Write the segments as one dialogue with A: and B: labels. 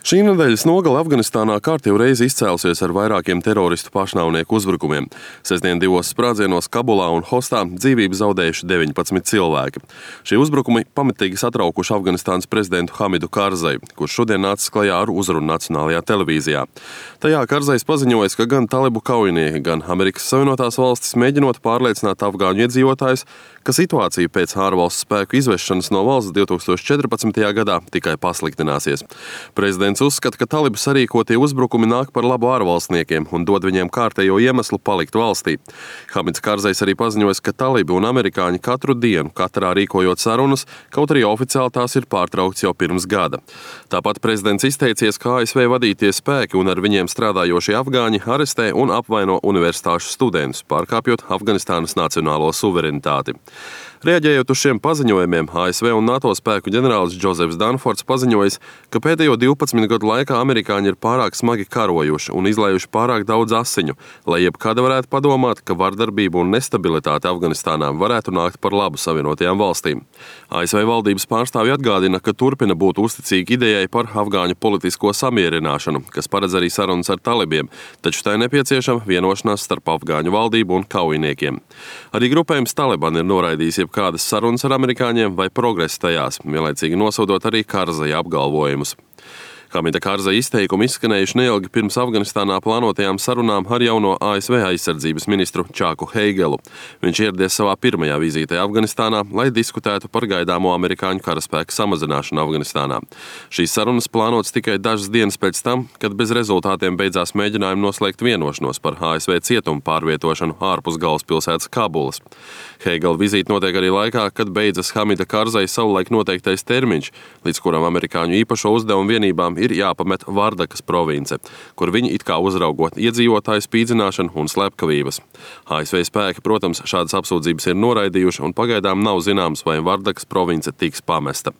A: Šī nedēļas nogale Afganistānā kārtīgi reizi izcēlusies ar vairākiem teroristu pašnāvnieku uzbrukumiem. Sestdien 2 sprādzienos Kabulā un Hostā dzīvību zaudējuši 19 cilvēki. Šie uzbrukumi pamatīgi satraukuši Afganistānas prezidentu Hamidu Karzaju, kurš šodien nācis klajā ar uzrunu nacionālajā televīzijā. Tajā Karzajs paziņojis, ka gan talibu kaujinieki, gan Amerikas Savienotās valstis mēģinot pārliecināt afgāņu iedzīvotājus, ka situācija pēc ārvalstu spēku izvešanas no valsts 2014. gadā tikai pasliktināsies. Prezidents uzskata, ka talibu sarīkotie uzbrukumi nāk par labu ārvalstniekiem un dod viņiem kārtējo iemeslu palikt valstī. Hamids Karzajs arī paziņojis, ka talibi un amerikāņi katru dienu, katrā rīkojot sarunas, kaut arī oficiāli tās ir pārtraukts jau pirms gada. Tāpat prezidents izteicies, ka ASV vadītie spēki un ar viņiem strādājošie afgāņi arestē un apvaino universitāšu studentus, pārkāpjot Afganistānas nacionālo suverenitāti. Reaģējot uz šiem paziņojumiem, ASV un NATO spēku ģenerālis Džozefs Danfords paziņojis, ka pēdējo 12 gadu laikā amerikāņi ir pārāk smagi karojuši un izlējuši pārāk daudz asiņu, lai jebkad varētu padomāt, ka vardarbība un nestabilitāte Afganistānā varētu nākt par labu Savienotajām valstīm. ASV valdības pārstāvji atgādina, ka turpina būt uzticīgi idejai par afgāņu politisko samierināšanu, kas paredz arī sarunas ar talibiem, taču tai nepieciešama vienošanās starp afgāņu valdību un kaujiniekiem. Arī grupējums Taliban ir noraidījis jebkādas sarunas ar amerikāņiem vai progresu tajās, vienlaicīgi nosodot arī Karzaja apgalvojumus. Hamida Karzaja izteikumi izskanējuši neilgi pirms Afganistānā plānotajām sarunām ar jauno ASV aizsardzības ministru Čaku Heigelu. Viņš ieradies savā pirmajā vizītē Afganistānā, lai diskutētu par gaidāmo amerikāņu karaspēku samazināšanu Afganistānā. Šīs sarunas plānotas tikai dažas dienas pēc tam, kad bez rezultātiem beidzās mēģinājumi noslēgt vienošanos par ASV cietumu pārvietošanu ārpus galvaspilsētas Kabulas. Heigela vizīte notiek arī laikā, kad beidzas Hamida Karzaja savulaik noteiktais termiņš, līdz kuram amerikāņu īpašo uzdevumu vienībām ir jāpamet Vardakas province, kur viņi it kā uzraugot iedzīvotāju spīdzināšanu un slepkavības. ASV spēki, protams, šādas apsūdzības ir noraidījuši un pagaidām nav zināms, vai Vardakas province tiks pamesta.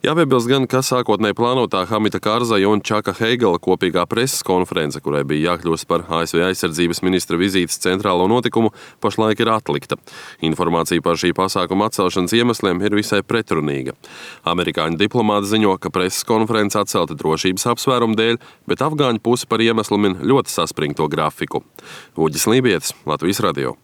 A: Jāpiebilst gan, ka sākotnēji plānotā Hamida Karzaja un Čaka Heigela kopīgā preses konference, kurai bija jākļūst par ASV aizsardzības ministra vizītes centrālo notikumu, pašlaik ir atlikta. Informācija par šī pasākuma atcelšanas iemesliem ir visai pretrunīga. Amerikāņu diplomāti ziņo, ka preses konference atcelta drošības apsvērumu dēļ, bet afgāņu puse par iemeslu min ļoti saspringto grafiku. Uģis Lībietis, Latvijas radio.